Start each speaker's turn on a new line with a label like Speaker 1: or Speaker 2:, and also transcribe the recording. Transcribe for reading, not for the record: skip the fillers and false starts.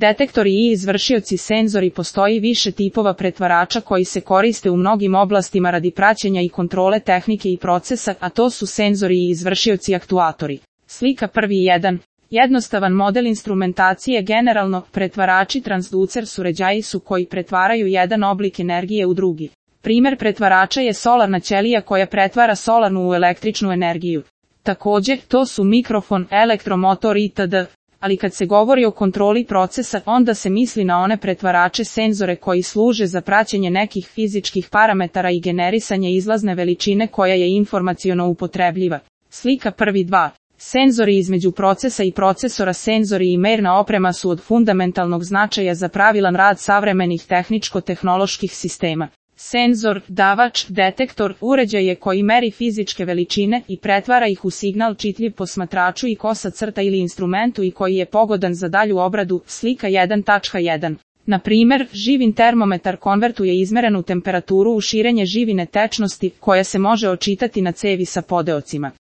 Speaker 1: Detektori i izvršioci senzori. Postoji više tipova pretvarača koji se koriste u mnogim oblastima radi praćenja i kontrole tehnike i procesa, a to su senzori i izvršioci aktuatori. Slika 1.1. Jednostavan model instrumentacije. Generalno, pretvarači transducer uređaji su koji pretvaraju jedan oblik energije u drugi. Primjer pretvarača je solarna ćelija koja pretvara solarnu u električnu energiju. Također, to su mikrofon, elektromotor itd. Ali kad se govori o kontroli procesa, onda se misli na one pretvarače senzore koji služe za praćenje nekih fizičkih parametara i generisanje izlazne veličine koja je informaciono upotrebljiva. Slika 1.2. Senzori. Između procesa i procesora. Senzori i merna oprema su od fundamentalnog značaja za pravilan rad savremenih tehničko-tehnoloških sistema. Senzor, davač, detektor, uređaj je koji meri fizičke veličine i pretvara ih u signal čitljiv posmatraču i kosa crta ili instrumentu i koji je pogodan za dalju obradu. Slika 1.1. Na primjer, živin termometar konvertuje izmerenu temperaturu u širenje živine tečnosti koja se može očitati na cevi sa podeocima.